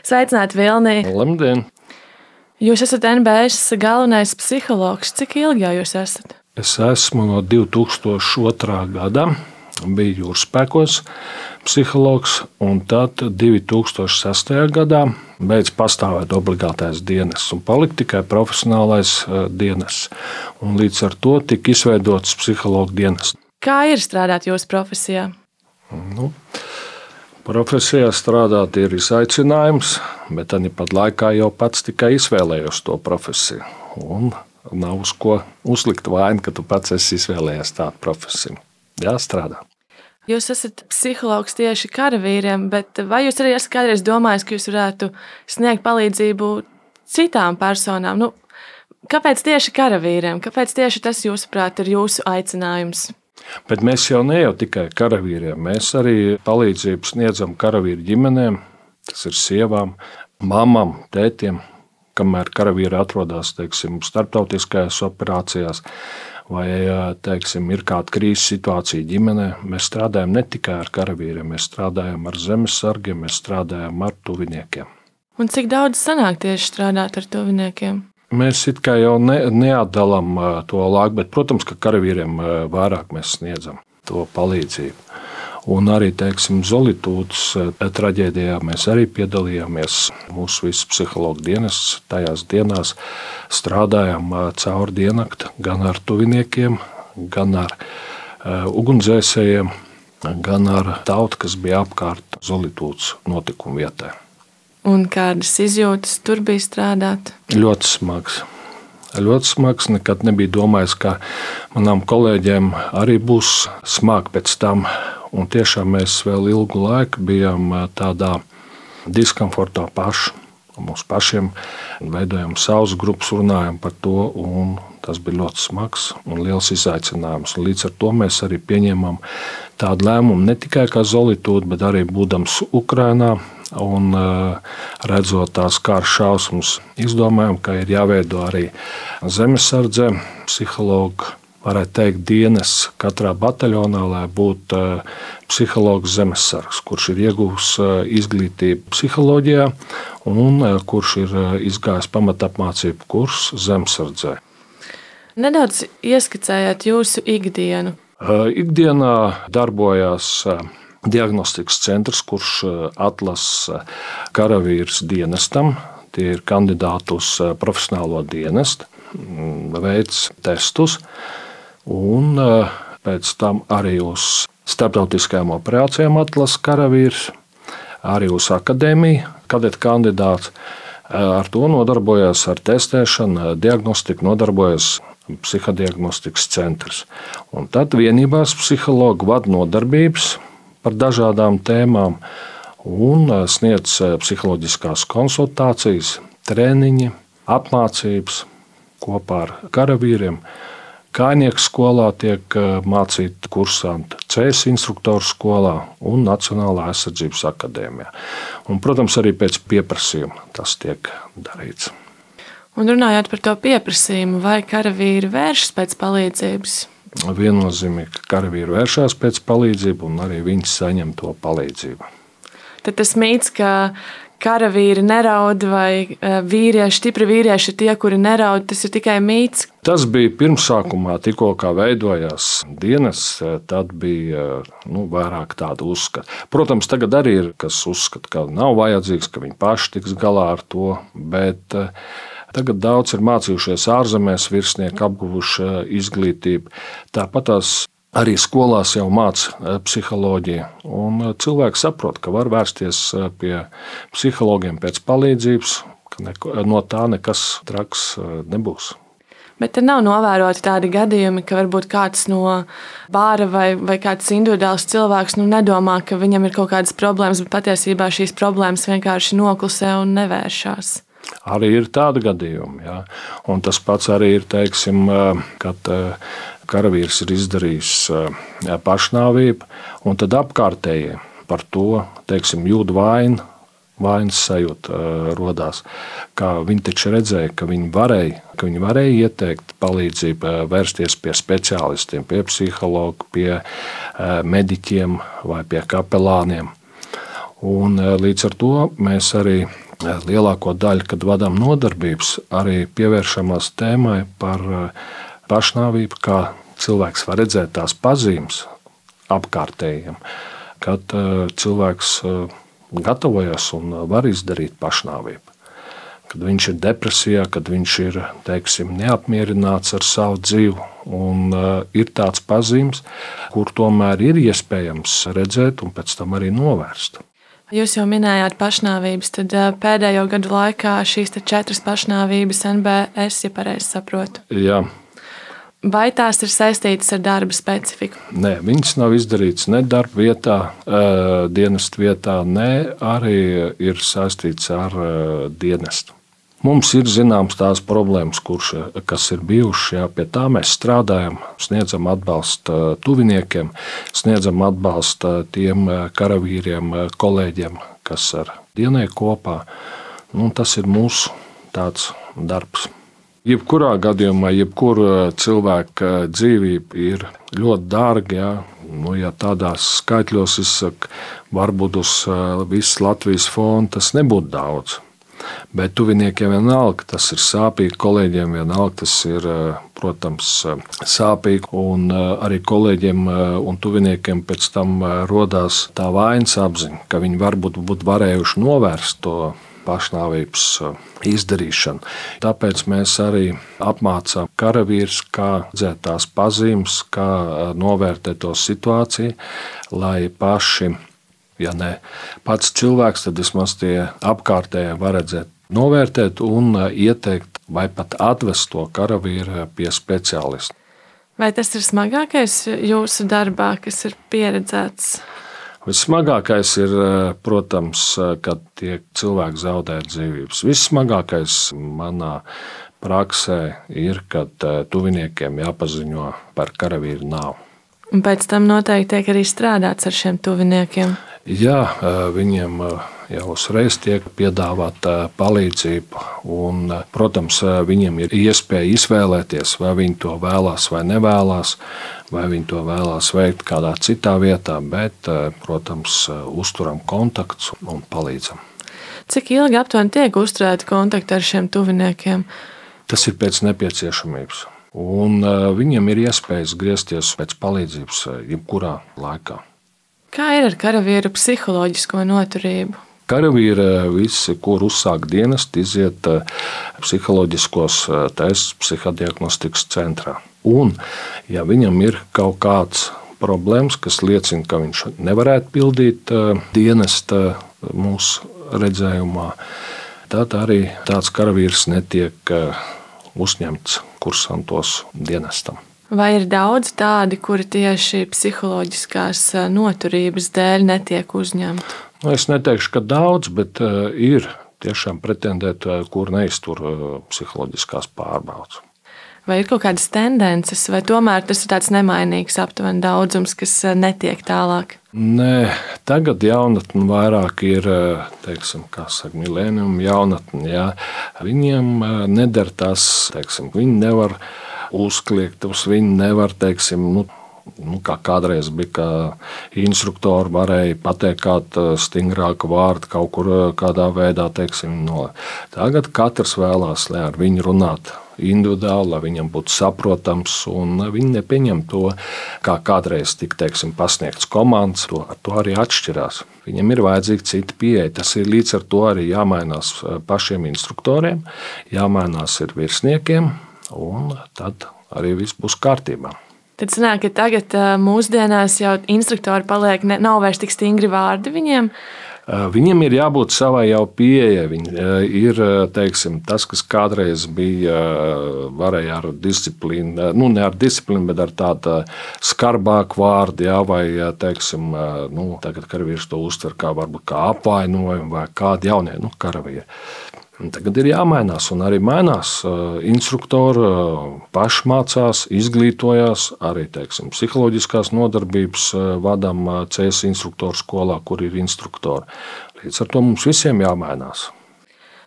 Sveicināti, Vilnī! Labdien! Jūs esat NBS galvenais psihologs. Cik ilgi jau jūs esat? Es esmu no 2002. gada, biju jūrspēkos psihologs, un tad 2006. gadā beidz pastāvēt obligātais dienests un palika tikai profesionālais dienests. Un līdz ar to tika izveidots psihologa dienests. Kā ir strādāt jūsu profesijā? Profesijā strādāt ir izaicinājums, bet tāpat laikā jau pats tikai izvēlējos to profesiju. Un nav uz ko uzlikt vainu, ka tu pats esi izvēlējies tādu profesiju. Jāstrādā. Jūs esat psihologs tieši karavīriem, bet vai jūs arī esat kādreiz domājis, ka jūs varētu sniegt palīdzību citām personām? Kāpēc tieši karavīriem? Kāpēc tieši tas, jūsuprāt, ir jūsu aicinājums? Bet mēs jau ne jau tikai karavīriem, mēs arī palīdzību sniedzam karavīru ģimenēm, tas ir sievām, mamām, tētiem, kamēr karavīri atrodas, starptautiskajās operācijās vai, ir kāda krīzes situācija ģimenē. Mēs strādājam ne tikai ar karavīriem, mēs strādājam ar zemesargiem, mēs strādājam ar tuviniekiem. Un cik daudz sanāk tieši strādāt ar tuviniekiem? Mēs it kā jau neatdalām to laiku, bet, protams, ka karavīriem vairāk mēs sniedzam to palīdzību. Un arī, Zolitūdas traģēdijā mēs arī piedalījāmies. Mūsu viss psihologa dienests tajās dienās strādājām cauri diennakti gan ar tuviniekiem, gan ar ugunsdzēsējiem, gan ar tautu, kas bija apkārt Zolitūdas notikumu vietai. Un kādas izjūtas tur bija strādāt? Ļoti smags. Ļoti smags. Nekad nebija domājis, ka manām kolēģiem arī būs smagi pēc tam. Un tiešām mēs vēl ilgu laiku bijām tādā diskomfortā paši. Mums pašiem veidojam savus grupas, runājam par to. Tas bija ļoti smags un liels izaicinājums. Un līdz ar to mēs arī pieņēmām tādu lēmumu ne tikai kā Zolitūda, bet arī būdams Ukrainā. Un redzot tās kara šausmas, izdomājām, ka ir jāveido arī zemesardze, psihologa, varētu teikt, dienests katrā bataljonā, lai būtu psihologs zemesargs, kurš ir ieguvis izglītību psiholoģijā un kurš ir izgājis pamatapmācību kursu zemesardzē. Nedaudz ieskicējāt jūsu ikdienu. Ikdienā darbojās diagnostikas centrs, kurš atlasa karavīrus dienestam. Tie ir kandidāti uz profesionālo dienestu, veic testus un pēc tam arī uz starptautiskajām operācijām atlasa karavīrus, arī uz akadēmiju, kadeta kandidāts. Ar to nodarbojas ar testēšanu, diagnostiku nodarbojas psihodiagnostikas centrs. Un tad vienībās psihologi vada nodarbības par dažādām tēmām un sniedz psiholoģiskās konsultācijas, treniņi, apmācības kopā ar karavīriem. Kājnieku skolā tiek mācīti kursanti, CS instruktoru skolā un Nacionālā aizsardzības akadēmijā. Un, protams, arī pēc pieprasījuma tas tiek darīts. Un runājot par to pieprasījumu, vai karavīri vēršas pēc palīdzības? Viennozīmīgi, ka karavīri vēršās pēc palīdzību un arī viņi saņem to palīdzību. Tad tas mīts, ka karavīri neraud vai vīrieši, stipri vīrieši ir tie, kuri neraud, tas ir tikai mīts? Tas bija pirmsākumā, tikko kā veidojās dienests, tad bija vairāk tādu uzskatu. Protams, tagad arī ir, kas uzskata, ka nav vajadzīgs, ka viņi paši tiks galā ar to, bet tagad daudz ir mācījušies ārzemēs, virsnieki apguvuši izglītību. Tāpat tās arī skolās jau māca psiholoģiju. Un cilvēki saprot, ka var vērsties pie psihologiem pēc palīdzības, ka no tā nekas traks nebūs. Bet te nav novēroti tādi gadījumi, ka varbūt kāds no bāra vai kāds individuāls cilvēks nedomā, ka viņam ir kaut kādas problēmas, bet patiesībā šīs problēmas vienkārši noklusē un nevēršās. Arī ir tādi gadījumi. Jā. Un tas pats arī ir, kad karavīrs ir izdarījis pašnāvību, un tad apkārtējie par to jūt vainu, vainas sajūta rodās. Viņi taču redzēja, ka viņi varēja ieteikt palīdzību, vērsties pie speciālistiem, pie psihologa, pie mediķiem vai pie kapelāniem. Un līdz ar to mēs arī lielāko daļu, kad vadām nodarbības, arī pievēršamās tēmai par pašnāvību, kā cilvēks var redzēt tās pazīmes apkārtējiem, kad cilvēks gatavojas un var izdarīt pašnāvību. Kad viņš ir depresijā, kad viņš ir, neapmierināts ar savu dzīvi, un ir tāds pazīmes, kur tomēr ir iespējams redzēt un pēc tam arī novērst. Jūs jau minējāt pašnāvības, tad pēdējo gadu laikā šīs 4 pašnāvības NBS, ja pareizi saprotu. Jā. Vai tās ir saistītas ar darba specifiku? Nē, viņas nav izdarītas ne darba vietā, dienesta vietā, ne arī ir saistītas ar dienestu. Mums ir zināms tās problēmas, kas ir bijušas, pie tā mēs strādājam, sniedzam atbalstu tuviniekiem, sniedzam atbalstu tiem karavīriem, kolēģiem, kas ar dienēju kopā. Tas ir mūsu tāds darbs. Jebkurā gadījumā, jebkura cilvēka dzīvība ir ļoti dārga. Ja tādās skaitļos izsaka, varbūt uz visas Latvijas fona tas nebūtu daudz. Bet tuviniekiem vienalga tas ir sāpīgi, kolēģiem vienalga tas ir, protams, sāpīgi. Un arī kolēģiem un tuviniekiem pēc tam rodās tā vainas apziņa, ka viņi varbūt būtu varējuši novērst to pašnāvības izdarīšanu. Tāpēc mēs arī apmācām karavīrus, kā redzēt tās pazīmes, kā novērtēt to situāciju, lai paši, ja ne pats cilvēks, tad vismaz tie apkārtējie var redzēt, novērtēt un ieteikt vai pat atvest to karavīru pie speciālista. Vai tas ir smagākais jūsu darbā, kas ir pieredzēts? Vissmagākais ir, protams, kad tie cilvēki zaudē dzīvības. Vissmagākais manā praksē ir, kad tuviniekiem jāpaziņo par karavīru nāvi. Un pēc tam noteikti tiek arī strādāts ar šiem tuviniekiem. Jā, viņiem jau uzreiz tiek piedāvāta palīdzība. Un, protams, viņiem ir iespēja izvēlēties, vai viņi to vēlās vai nevēlās, vai viņi to vēlās veikt kādā citā vietā, bet, protams, uzturam kontaktus un palīdzam. Cik ilgi aptuveni tiek uzturēti kontakti ar šiem tuviniekiem? Tas ir pēc nepieciešamības. Un viņiem ir iespējas griezties pēc palīdzības jebkurā laikā. Kā ir ar karavīru psiholoģisko noturību? Karavīri visi, kur uzsāk dienestu, iziet psiholoģiskos testus psihodiagnostikas centrā. Un, ja viņam ir kaut kāds problēmas, kas liecina, ka viņš nevarētu pildīt dienesta mūsu redzējumā, tad arī tāds karavīrs netiek uzņemts kursantos dienestam. Vai ir daudz tādi, kuri tieši psiholoģiskās noturības dēļ netiek uzņemti? Es neteikšu, ka daudz, bet ir tiešām pretendēti, kur neiztur psiholoģiskās pārbaudes. Vai ir kaut kādas tendences, vai tomēr tas ir tāds nemainīgs aptuveni daudzums, kas netiek tālāk? Nē, tagad jaunatne vairāk ir, milēnium jaunatne. Jā. Viņiem neder tas, viņi nevar uzkliegt, viņi nevar, kā kādreiz bija, ka instruktori varēja pateikt kādu stingrāku vārdu kaut kur kādā veidā, Tagad katrs vēlās, lai ar viņu runāt individuāli, lai viņam būtu saprotams, un viņi nepieņem to, kā kādreiz tika, pasniegts komandas, ar to arī atšķirās. Viņam ir vajadzīga cita pieeja. Tas ir līdz ar to arī jāmainās pašiem instruktoriem, jāmainās ir virsniekiem, un tad arī viss būs kārtībā. Tad sanāk, ka tagad mūsdienās jau instruktori paliek, nav vairs tik stingri vārdi viņiem? Viņam ir jābūt savai jau pieejai. Ir tas, kas kādreiz bija, varēja ar disciplīnu, ne ar disciplīnu, bet ar tādu skarbāku vārdu, vai tagad karavīrs to uztver kā varbūt kā apvainojumu vai kādu jaunie karavīri. Tagad ir jāmainās, un arī mainās. Instruktori paši mācās, izglītojās, arī psiholoģiskās nodarbības vadām CS instruktoru skolā, kur ir instruktori. Līdz ar to mums visiem jāmainās.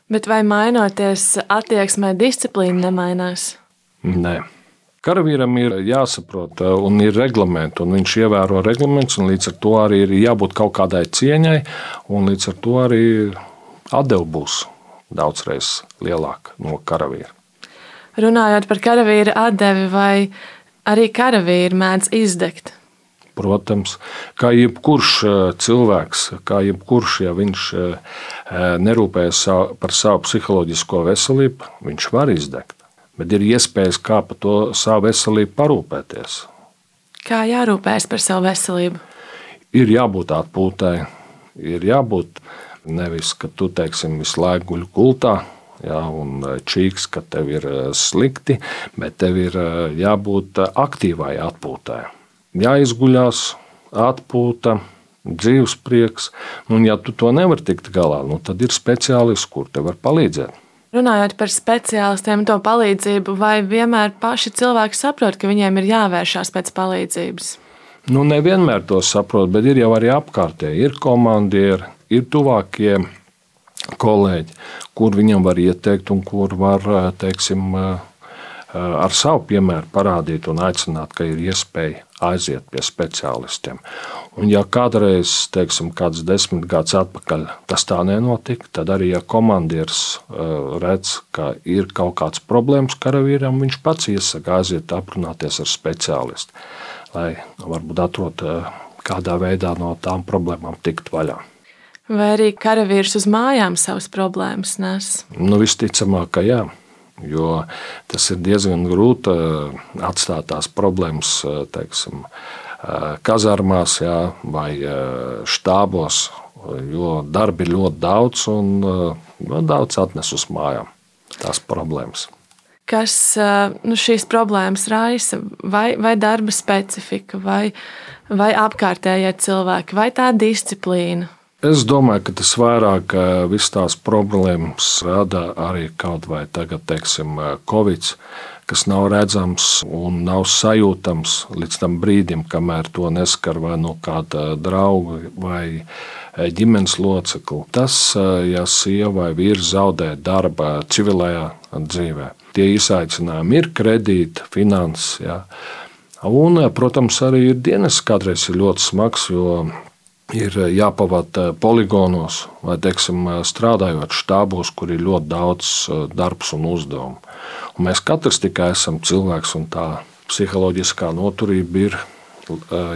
Bet vai mainoties attieksmē, disciplīna nemainās? Nē. Karavīram ir jāsaprot, un ir reglamenti, un viņš ievēro reglamentus, un līdz ar to arī ir jābūt kaut kādai cieņai, un līdz ar to arī atdeve būs daudzreiz lielāka no karavīra. Runājot par karavīra atdevi, vai arī karavīri mēdz izdegt? Protams, kā jebkurš cilvēks, kā jebkurš, ja viņš nerūpējas par savu psiholoģisko veselību, viņš var izdegt. Bet ir iespējas, kā par to savu veselību parūpēties. Kā jārūpējas par savu veselību? Ir jābūt atpūtai, ir jābūt nevis, ka tu, teiksim, visu laiku guļ gultā, ja, un čīks, ka tev ir slikti, bet tev ir jābūt aktīvai atpūtai. Jāizguļās, atpūta, dzīves prieks. Un, ja tu to nevari tikt galā, tad ir speciālists, kur tev var palīdzēt. Runājot par speciālistiem, to palīdzību, vai vienmēr paši cilvēki saprot, ka viņiem ir jāvēršās pēc palīdzības? Nevienmēr to saprot, bet ir jau arī apkārtēji. Ir komandieri, ir tuvākie kolēģi, kur viņam var ieteikt un kur var, teiksim, ar savu piemēru parādīt un aicināt, ka ir iespēja aiziet pie speciālistiem. Un ja kādreiz, teiksim, kāds 10 gadus atpakaļ tas tā nenotika, tad arī, ja komandieris redz, ka ir kaut kāds problēmas karavīram, viņš pats iesaka aiziet aprunāties ar speciālistu, lai varbūt atrod kādā veidā no tām problēmām tikt vaļā. Vai arī karavīrs uz mājām savas problēmas nes? Visticamāk, ka jā. Jo tas ir diezgan grūti atstāt tās problēmas, teiksim, kazarmās, jā, vai štābos, jo darbi ir ļoti daudz un daudz atnes uz mājām tās problēmas. Kas šīs problēmas raisa? Vai darba specifika, vai apkārtējie cilvēki, vai tā disciplīna? Es domāju, ka tas vairāk visas tās problēmas rada arī kaut vai tagad, teiksim, Covid, kas nav redzams un nav sajūtams līdz tam brīdim, kamēr to neskar vai no kāda drauga vai ģimenes locekli. Tas, ja sieva vai vīrs zaudē darba civilajā dzīvē, tie izaicinājumi ir kredīti, finanses. Ja. Un, protams, arī ir dienas kādreiz ir ļoti smags, jo ir jāpavada poligonos vai, teiksim, strādājot štābos, kur ir ļoti daudz darbs un uzdevumu. Un mēs katrs tikai esam cilvēks, un tā psiholoģiskā noturība ir,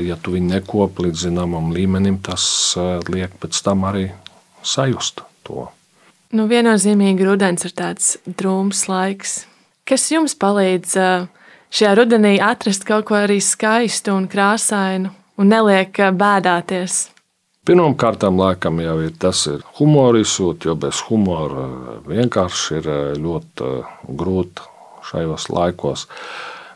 ja tu viņu nekopi līdz zināmam līmenim, tas liek pēc tam arī sajust to. Viennozīmīgi rudens ir tāds drūms laiks. Kas jums palīdz šajā rudenī atrast kaut ko arī skaistu un krāsainu un neliek bēdāties? Pirmkārt, laikam jau ir tas humora izsūt, jo bez humora vienkārši ir ļoti grūti šajos laikos.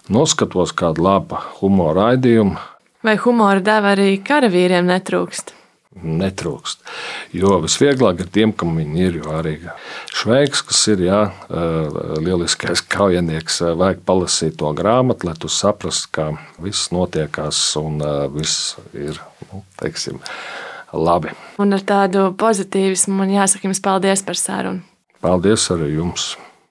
Noskatos kādu labu humora raidījumu. Vai humora deva arī karavīriem netrūkst? Netrūkst. Jo visvieglāk ir tiem, kam viņi ir. Jo arī Šveiks, kas ir lieliskais kaujinieks, vajag palasīt to grāmatu, lai tu saprastu, ka viss notiekās un viss ir, teiksim, labi. Un ar tādu pozitīvismu man jāsaka jums paldies par sarunu. Paldies arī jums.